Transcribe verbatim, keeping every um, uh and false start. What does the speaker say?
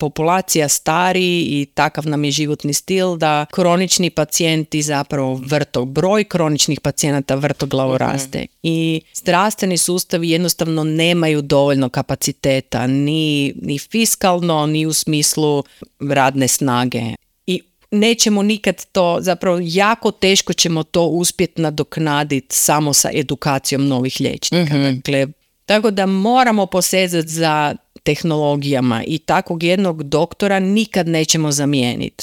populacija stari i takav nam je životni stil da kronični pacijenti zapravo vrto, broj kroničnih pacijenata vrtoglavo raste. Mm-hmm. I zdravstveni sustavi jednostavno nemaju dovoljno kapaciteta, ni, ni fiskalno, ni u smislu radne snage. I nećemo nikad to, zapravo jako teško ćemo to uspjeti nadoknaditi samo sa edukacijom novih liječnika. Mm-hmm. Dakle, tako da moramo posezati za tehnologijama i takvog jednog doktora nikad nećemo zamijeniti.